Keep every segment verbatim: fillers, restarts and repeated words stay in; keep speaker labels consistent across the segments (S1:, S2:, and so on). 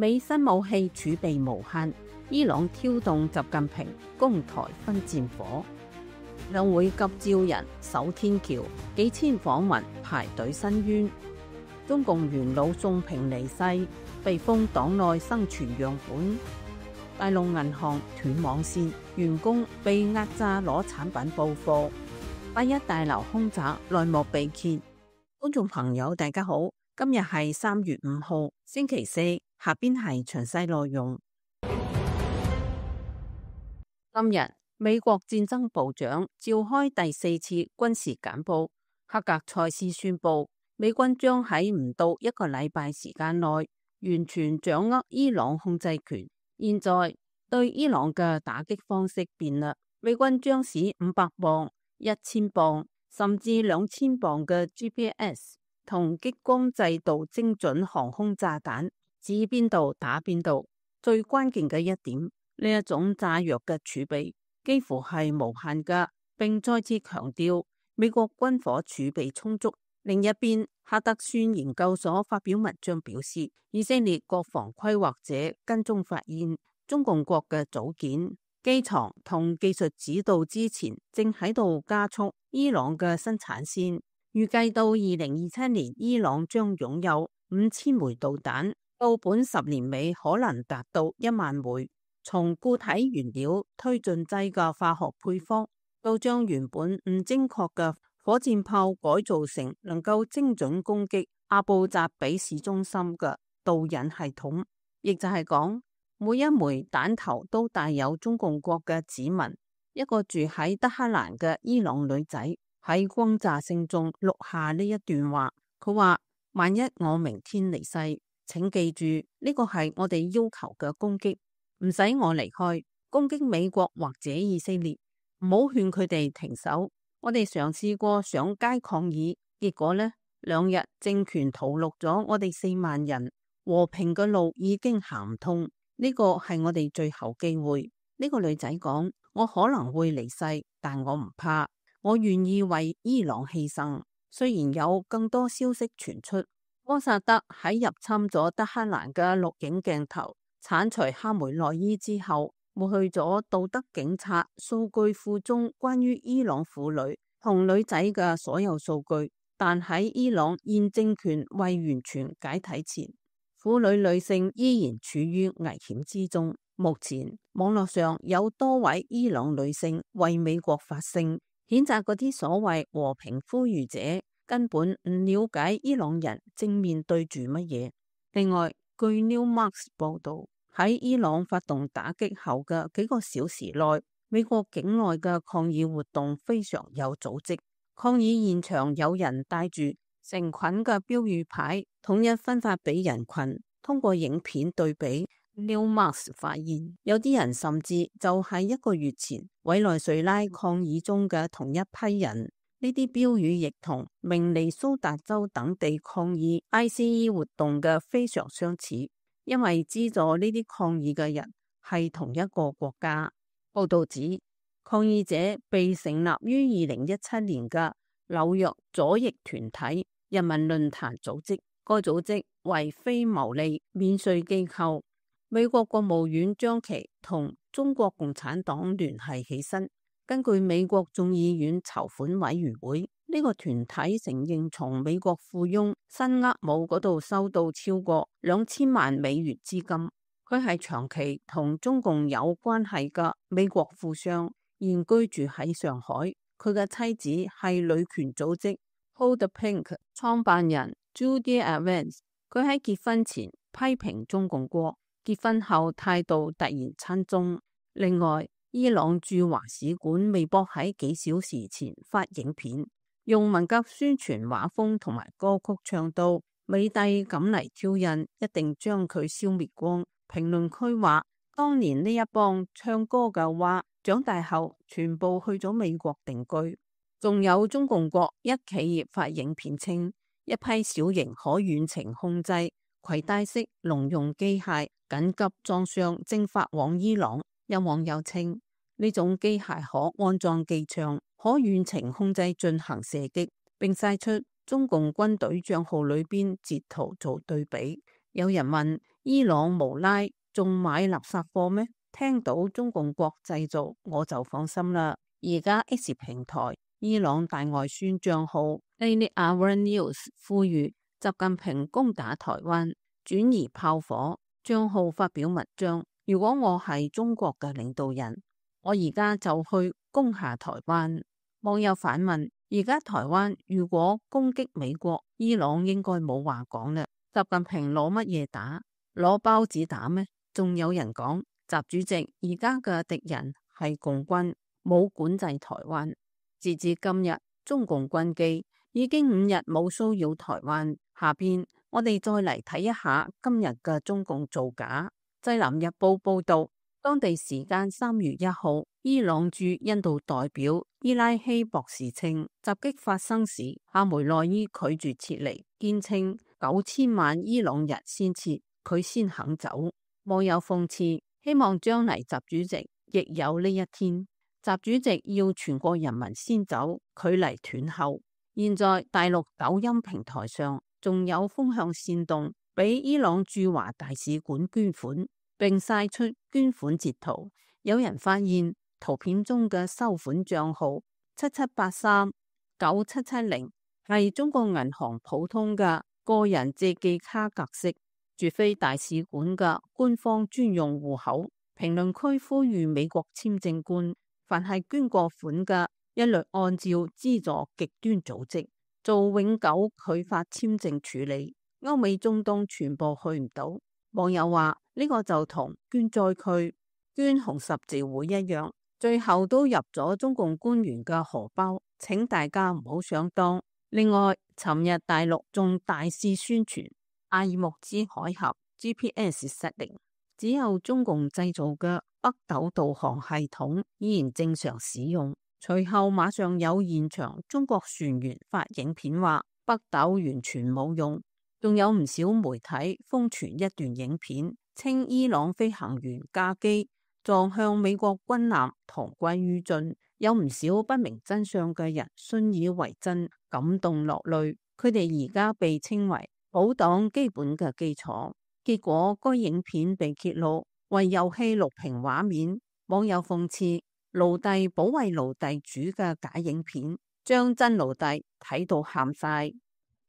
S1: 美新武器儲備無限，伊朗挑動習近平攻台分戰火。兩會急召人守天橋，幾千訪民排隊申冤。中共元老宋平離世，被封黨內生存樣本。大陸銀行斷網線，員工被壓榨攞產品報貨。八一大樓空襲內幕被揭。觀眾朋友大家好，今日係三月五號星期四，下邊係詳細內容。今日美國戰爭部長召開第四次軍事簡報，克格塞斯宣布美軍將喺唔到一個禮拜時間內完全掌握伊朗控制權。現在對伊朗嘅打擊方式變啦，美軍將使五百磅、一千磅甚至兩千磅嘅 G P S 同激光制導精準航空炸彈指邊度打邊度。最關鍵嘅一點，呢一種炸藥嘅儲備幾乎係無限噶，並再次強調美國軍火儲備充足。另一邊，哈德遜研究所發表文章表示，以色列國防規劃者跟蹤發現，中共國嘅組件、機床同技術指導之前正喺度加速伊朗嘅生產線。預計到二零二七年，伊朗將擁有五千枚導彈，到本十年尾可能達到一萬枚。從固體原料推進劑嘅化學配方，到將原本唔精確嘅火箭炮改造成能夠精準攻擊阿布扎比市中心嘅導引系統，亦就係講每一枚彈頭都帶有中共國嘅指紋。一個住喺德黑蘭嘅伊朗女仔喺轟炸聲中錄下呢一段話，佢話：萬一我明天離世，請記住呢個係我哋要求嘅攻擊，唔使我離開，攻擊美國或者以色列，唔好勸佢哋停手。我哋嘗試過上街抗議，結果呢，兩日政權屠戮咗我哋四萬人，和平嘅路已經行唔通。呢個係我哋最後機會。呢個女仔講：我可能會離世，但我唔怕，我願意為伊朗犧牲。雖然有更多消息傳出，摩薩德喺入侵咗德黑蘭嘅錄影鏡頭鏟除哈梅內伊之後，抹去咗道德警察數據庫中關於伊朗婦女同女仔嘅所有數據，但喺伊朗現政權未完全解體前，婦女女性依然處於危險之中。目前網絡上有多位伊朗女性為美國發聲，譴責嗰啲所謂和平呼籲者根本唔了解伊朗人正面對住乜嘢。另外，據 Newsmax 報道，喺伊朗發動打擊後嘅幾個小時內，美國境內嘅抗議活動非常有組織。抗議現場有人帶住成群嘅標語牌，統一分發俾人群。通過影片對比， Newsmax 發現有啲人甚至就係一個月前委內瑞拉抗議中嘅同一批人。呢啲標語亦同明尼蘇達州等地抗議 I C E 活動嘅非常相似，因為資助呢啲抗議嘅人係同一個國家。報道指，抗議者被成立於二零一七年嘅紐約左翼團體人民論壇組織，該組織為非牟利免稅機構。美國國務院將其同中國共產黨聯繫起身。根據美國眾議院籌款委員會，呢個團體承認從美國富翁辛厄姆嗰度收到超過兩千萬美元資金。佢係長期同中共有關係嘅美國富商，現居住喺上海。佢嘅妻子係女權組織 Hold the Pink 創辦人 Judy Evans。佢喺結婚前批評中共國，結婚後態度突然親中。另外，伊朗駐華使館微博喺幾小時前發影片，用文革宣傳畫風同埋歌曲唱到美帝敢嚟挑釁，一定將佢消滅光。評論區話，當年呢一幫唱歌嘅話，長大後全部去咗美國定居。仲有中共國一企業發影片稱，一批小型可遠程控制攜帶式農用機械緊急裝箱正發往伊朗。有網友稱，呢種機械可安裝機槍，可遠程控制進行射擊，並晒出中共軍隊賬號裏邊截圖做對比。有人問，伊朗無拉仲買垃圾貨咩？聽到中共國製造我就放心啦。而家 X 平台伊朗大外宣賬號 Daily Hour News 呼籲習近平攻打台灣，轉移炮火。賬號發表文章，如果我係中國嘅領導人，我而家就去攻下台灣。網友反問，而家台灣如果攻擊美國，伊朗應該冇話講啦。習近平攞乜嘢打？攞包子打咩？仲有人講，習主席而家嘅敵人係共軍，冇管制台灣。截至今日，中共軍機已經五日冇騷擾台灣。下邊我哋再嚟睇一下今日嘅中共造假。《濟南日報》報道，當地時間三月一號，伊朗駐印度代表伊拉希博士稱，襲擊發生時，夏梅內伊拒絕撤離，堅稱九千萬伊朗人先撤，佢先肯走。網友諷刺，希望將來習主席亦有呢一天。習主席要全國人民先走，距離斷後。現在大陸抖音平台上仲有風向煽動，俾伊朗駐華大使館捐款，並晒出捐款截圖。有人發現圖片中嘅收款賬號七七八三九七七零係中國銀行普通嘅個人借記卡格式，絕非大使館嘅官方專用戶口。評論區呼籲美國簽證官，凡係捐過款嘅，一律按照資助極端組織做永久拒發簽證處理。歐美中東全部去唔到。網友話呢個就同捐災區、捐紅十字會一樣，最後都入咗中共官員嘅荷包，請大家唔好上當。另外，尋日大陸仲大肆宣傳阿爾木茲海峽 G P S 失靈，只有中共製造嘅北斗導航系統依然正常使用。隨後馬上有現場中國船員發影片話北斗完全冇用，仲有唔少媒體瘋傳一段影片，稱伊朗飛行員駕機撞向美國軍艦同歸於盡。有唔少不明真相嘅人信以為真，感動落淚。佢哋而家被稱為保黨基本嘅基礎。結果該影片被揭露為遊戲錄屏畫面，網友諷刺奴隸保衛奴隸主嘅假影片，將真奴隸睇到喊晒。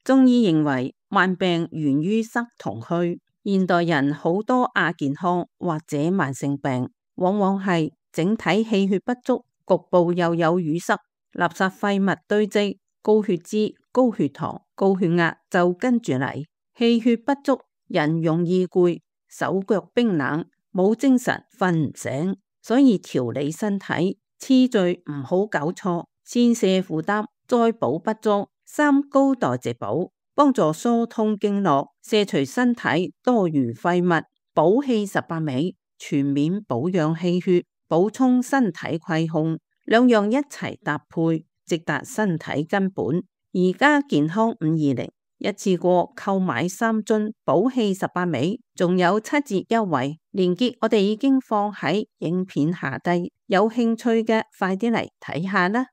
S1: 中醫認為慢病源於塞同虛，現代人好多亞健康或者慢性病，往往係整體氣血不足，局部又有淤塞，垃圾廢物堆積，高血脂、高血糖、高血壓就跟住嚟。氣血不足，人容易攰，手腳冰冷，冇精神，瞓唔醒。所以調理身體次序唔好搞錯，先瀉負擔，再補不足，三高代謝補，幫助疏通經絡，卸除身體多餘廢物，補氣十八味，全面保養氣血，補充身體虧空，兩樣一齊搭配，直達身體根本。而家健康五二零一次過購買三樽補氣十八味，仲有七折優惠，鏈接我哋已經放喺影片下低，有興趣嘅快啲嚟睇下啦。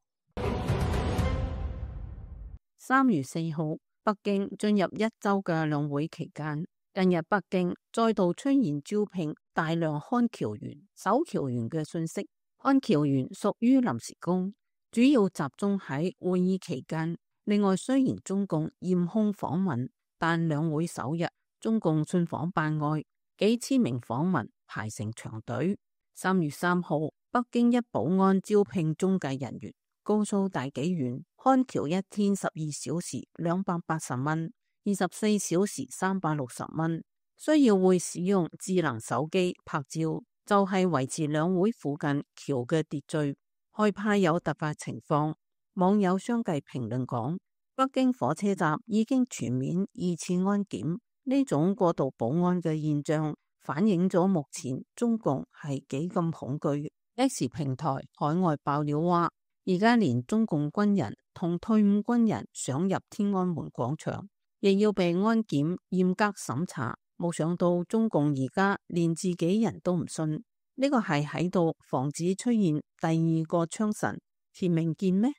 S1: 三月四號，北京進入一周嘅兩會期間，近日北京再度出現招聘大量看橋員、守橋員嘅信息。看橋員屬於臨時工，主要集中喺會議期間。另外，雖然中共嚴控訪問，但兩會首日，中共信訪辦外幾千名訪民排成長隊。三月三號，北京一保安招聘中介人員，告訴大紀元看橋一天十二小時兩百八十蚊，二十四小時三百六十蚊，需要會使用智能手機拍照，就係、是、維持兩會附近橋嘅秩序，害怕有突發情況。網友相繼評論講，北京火車站已經全面二次安檢，呢種過度保安嘅現象反映咗目前中共係幾咁恐懼。X 平台海外爆料話，而家連中共軍人同退伍軍人想入天安門廣場，亦要被安檢嚴格審查。冇想到中共而家連自己人都唔信，呢個係喺度防止出現第二個槍神田明健咩？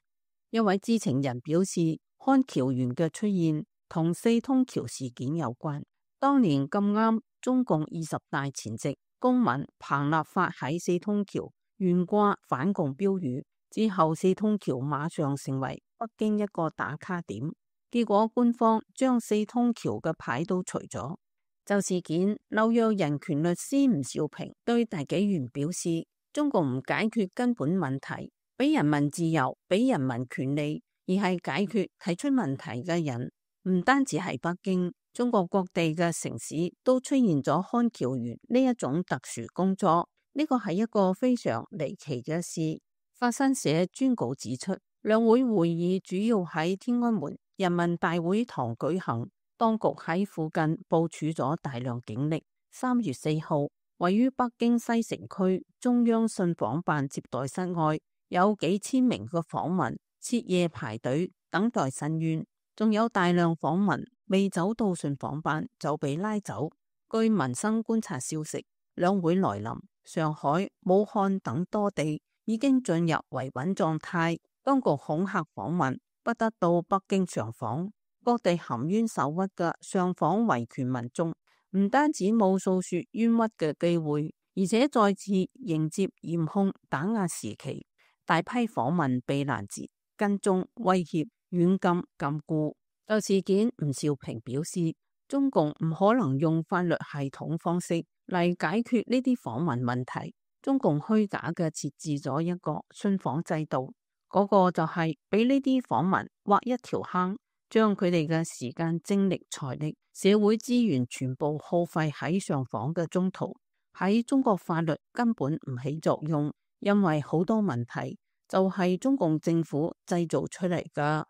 S1: 一位知情人表示，看橋員嘅出現同四通橋事件有關。當年咁啱中共二十大前夕，公民彭立發喺四通橋懸掛反共標語，之後四通橋馬上成為北京一個打卡點。結果官方將四通橋嘅牌都除咗。就事件，紐約人權律師吳兆平對大紀元表示，中共唔解決根本問題，俾人民自由，俾人民權利，而係解決提出問題嘅人。唔單止係北京，中國各地嘅城市都出現咗看橋員呢一種特殊工作。呢個係一個非常離奇嘅事。法新社專稿指出，兩會會議主要喺天安門人民大會堂舉行，當局喺附近部署咗大量警力。三月四號，位於北京西城區中央信訪辦接待室外，有幾千名嘅訪民徹夜排隊等待申冤，仲有大量訪民未走到信訪辦就被拉走。據民生觀察消息，兩會來臨，上海、武漢等多地已經進入維穩狀態，當局恐嚇訪民不得到北京上訪。各地含冤受屈嘅上訪維權民眾，唔單止冇訴說冤屈嘅機會，而且再次迎接嚴控打壓時期。大批訪民被攔截、跟蹤、威脅、軟禁、禁錮。就事件，吳兆平表示，中共唔可能用法律系統方式嚟解決呢啲訪民問題。中共虛假嘅設置咗一個信訪制度，嗰、那個就係俾呢啲訪民挖一條坑，將佢哋嘅時間、精力、財力、社會資源全部耗費喺上訪嘅中途。喺中國法律根本唔起作用，因為好多問題就係中共政府製造出嚟㗎。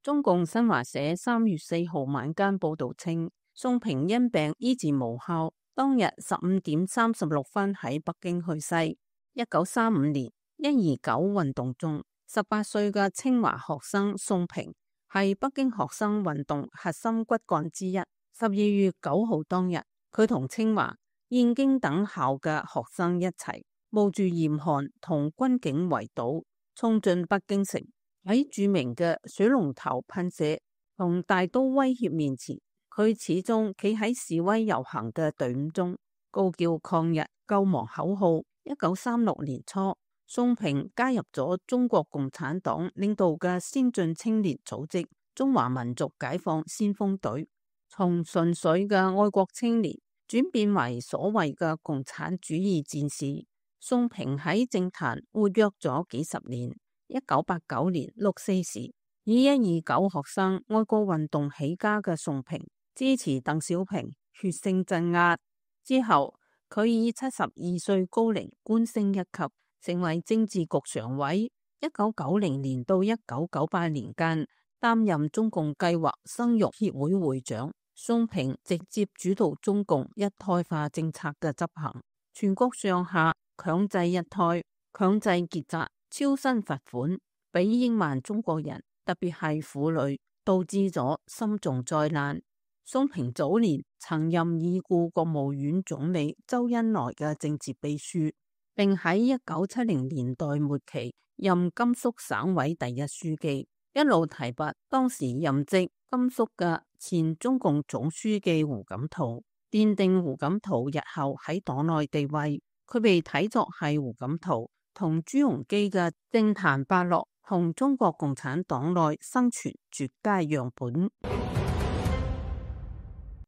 S1: 中共新華社三月四號晚間報道稱，宋平因病醫治無效，當日十五點三十六分喺北京去世。一九三五年一二九運動中，十八歲嘅清華學生宋平係北京學生運動核心骨幹之一。十二月九號當日，佢同清華、燕京等校嘅學生一齊冒住嚴寒同軍警圍堵，衝進北京城。喺著名嘅水龍頭噴射同大刀威脅面前，佢始終企喺示威遊行嘅隊伍中，高叫抗日救亡口號。一九三六年初，宋平加入咗中國共產黨領導嘅先進青年組織中華民族解放先鋒隊，從純粹嘅愛國青年轉變為所謂嘅共產主義戰士。宋平喺政壇活躍咗幾十年。一九八九年六四時，以一二九學生愛國運動起家嘅宋平，支持鄧小平血腥鎮壓之後，佢以七十二歲高齡官升一級，成為政治局常委。一九九零年到一九九八年間，擔任中共計劃生育協會會長。宋平直接主導中共一胎化政策嘅執行，全國上下強制一胎、強制結紮、超薪罰款，俾億萬中國人，特別係婦女，導致咗深重災難。宋平早年曾任已故國務院總理周恩來嘅政治秘書，並喺一九七零年代末期任甘肅省委第一書記，一路提拔當時任職甘肅嘅前中共總書記胡錦濤，奠定胡錦濤日後喺黨內地位。佢被睇作係胡錦濤同朱鎔基嘅政壇伯樂同中國共產黨內生存絕佳樣本。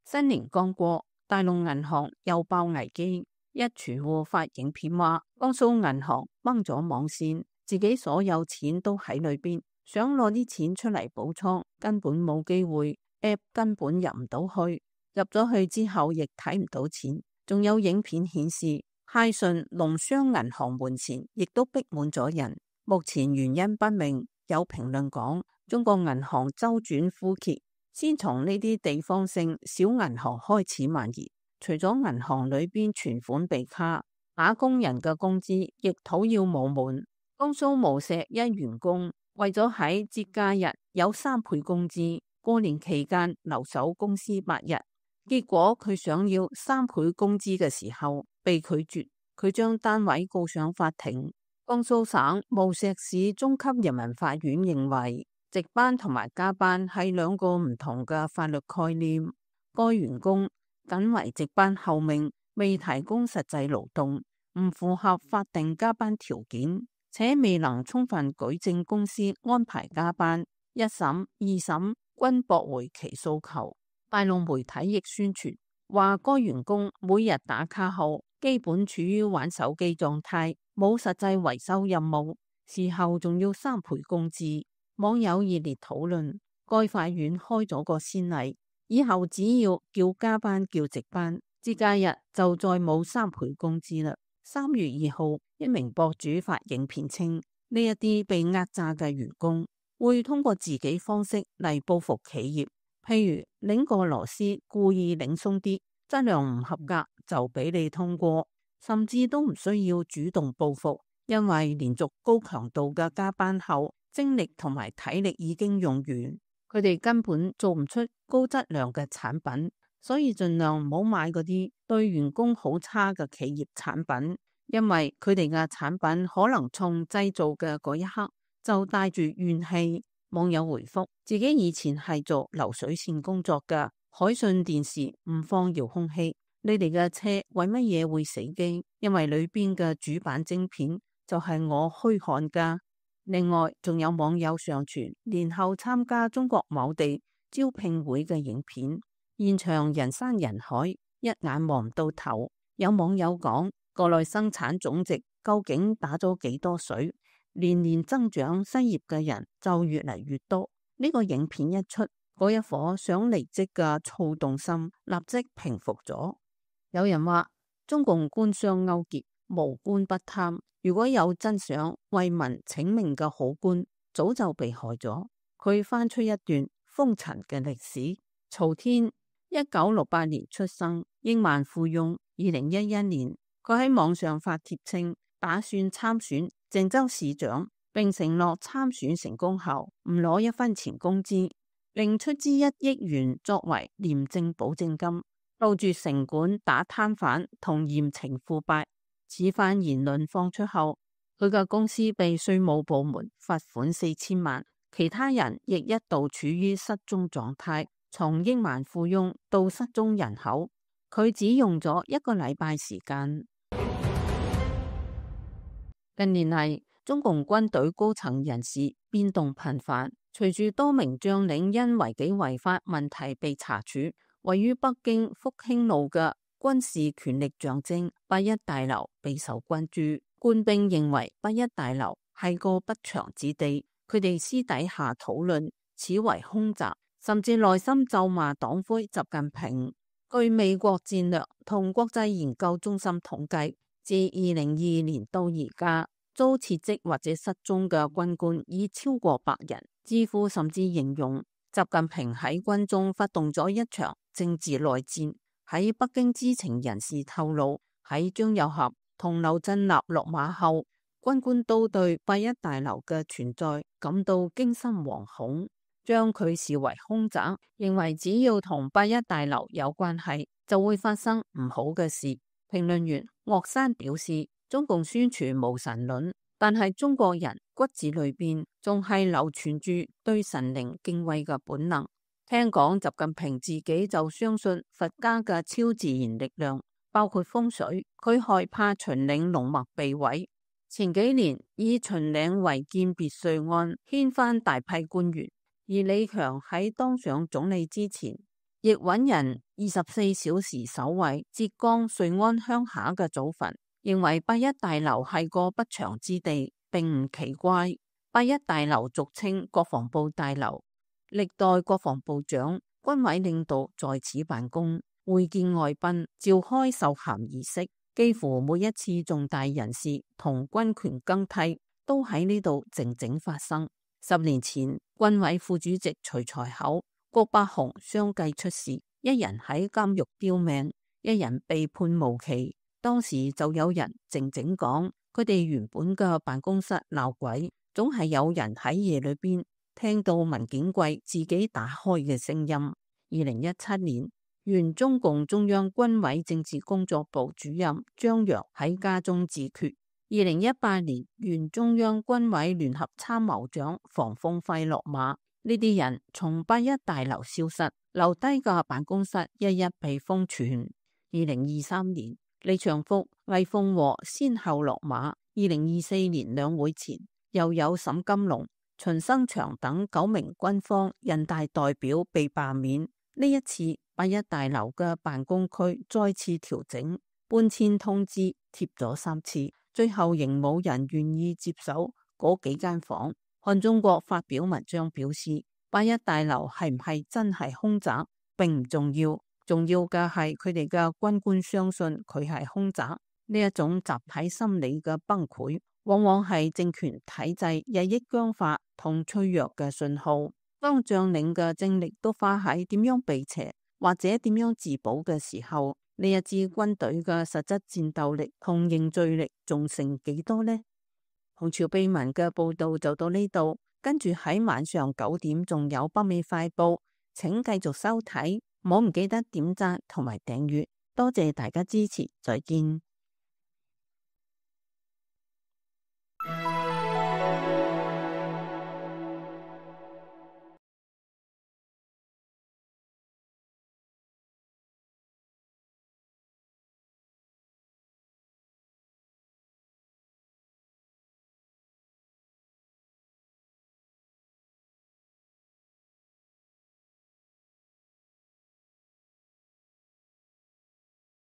S1: 新年剛過，大陸銀行又爆危機，一儲戶發影片話，江蘇銀行掹咗網線，自己所有錢都喺裏邊，想攞啲錢出嚟補倉，根本冇機會 ，app 根本入唔到去，入咗去之後亦睇唔到錢，仲有影片顯示，泰順農商銀行門前亦都逼滿咗人，目前原因不明。有評論講，中國銀行周轉枯竭，先從呢啲地方性小銀行開始蔓延。除咗銀行裏邊存款被卡，打工人嘅工資亦討要冇滿。江蘇無錫一員工為咗喺節假日有三倍工資，過年期間留守公司八日，結果佢想要三倍工資嘅時候被拒絕，佢將單位告上法庭。江蘇省無錫市中級人民法院認為，值班同埋加班係兩個唔同嘅法律概念。該員工僅為值班候命，未提供實際勞動，唔符合法定加班條件，且未能充分舉證公司安排加班，一審、二審均駁回其訴求。大陸媒體亦宣傳話，該員工每日打卡後基本處於玩手機狀態，冇實際維修任務，事後仲要三倍工資。網友熱烈討論，該法院開咗個先例，以後只要叫加班叫值班，節假日就再冇三倍工資啦。三月二號，一名博主發影片稱，呢一啲被壓榨嘅員工會通過自己方式嚟報復企業，譬如擰個螺絲故意擰鬆啲，質量唔合格就俾你通過，甚至都唔需要主動報復，因為連續高強度嘅加班後，精力同埋體力已經用完，佢哋根本做唔出高質量嘅產品，所以盡量唔好買嗰啲對員工好差嘅企業產品，因為佢哋嘅產品可能從製造嘅嗰一刻就帶住怨氣。網友回覆，自己以前係做流水線工作嘅，海信電視唔放遙控器，你哋嘅車為乜嘢會死機？因為裏邊嘅主板晶片就係我虛焊噶。另外，仲有網友上傳年後參加中國某地招聘會嘅影片，現場人山人海，一眼望唔到頭。有網友講，國內生產總值究竟打咗幾多水？年年增長，失業嘅人就越嚟越多。呢個影片一出，嗰一顆想離職嘅躁動心立即平復咗。有人話，中共官商勾結，無官不貪。如果有真想為民請命嘅好官，早就被害咗。佢翻出一段風塵嘅歷史。曹天一九六八年出生，億萬富翁。二零一一年，佢喺網上發帖稱打算參選鄭州市長，並承諾參選成功後唔攞一分錢工資，另出資一億元作為廉政保證金，到住城管打攤販同嚴懲腐敗。此番言論放出後，佢嘅公司被稅務部門罰款四千萬，其他人亦一度處於失蹤狀態，從億萬富翁到失蹤人口，佢只用咗一個禮拜時間。近年嚟，中共軍隊高層人士變動頻繁，隨住多名將領因違紀違法問題被查處，位於北京復興路嘅軍事權力象徵八一大樓備受關注。官兵認為八一大樓係個不祥之地，佢哋私底下討論此為空襲，甚至內心咒罵黨魁習近平。據美國戰略同國際研究中心統計，自二零二二年到而家，遭撤職或者失蹤嘅軍官已超過百人。知乎甚至形容習近平喺軍中發動咗一場政治內戰。喺北京知情人士透露，喺張又俠同劉振立落馬後，軍官都對八一大樓嘅存在感到驚心惶恐，將佢視為空襲，認為只要同八一大樓有關係，就會發生唔好嘅事。評論員岳山表示，中共宣傳無神論，但係中國人骨子裏邊仲係流傳住對神靈敬畏嘅本能。聽講習近平自己就相信佛家嘅超自然力量，包括風水。佢害怕秦嶺龍脈被毀。前幾年以秦嶺違建別墅案掀翻大批官員，而李強喺當上總理之前，亦揾人二十四小時守衛浙江瑞安鄉下嘅祖墳，認為八一大樓係個不祥之地，並唔奇怪。八一大樓俗稱國防部大樓。歷代國防部長、軍委領導在此辦公，會見外賓，召開授銜儀式，幾乎每一次重大人事同軍權更替都喺呢度靜靜發生。十年前，軍委副主席徐才厚、郭伯雄相繼出事，一人喺監獄丟命，一人被判無期。當時就有人靜靜講，佢哋原本嘅辦公室鬧鬼，總係有人喺夜裏邊聽到文件櫃自己打開嘅聲音。二零一七年，原中共中央軍委政治工作部主任張陽喺家中自決，二零一八年，原中央軍委聯合參謀長房鳳輝落馬，呢啲人從八一大樓消失，留低嘅辦公室一一被封存。二零二三年，李長福、魏鳳和先後落馬。二零二四年兩會前，又有沈金龍、秦生祥等九名軍方人大代表被罷免。呢一次，八一大樓嘅辦公區再次調整，搬遷通知貼咗三次，最後仍冇人願意接手嗰幾間房。漢中國發表文章表示，八一大樓係唔係真係空宅並唔重要，重要嘅係佢哋嘅軍官相信佢係空宅。呢一種集體心理嘅崩潰，往往係政權體制日益僵化同脆弱嘅信號。當將領嘅精力都花喺點樣避邪或者點樣自保嘅時候，呢一支軍隊嘅實質戰鬥力同凝聚力仲剩幾多呢？紅潮秘聞嘅報道就到呢度，跟住喺晚上九點仲有北美快報，請繼續收睇，唔好唔記得點讚同埋訂閱，多謝大家支持，再見。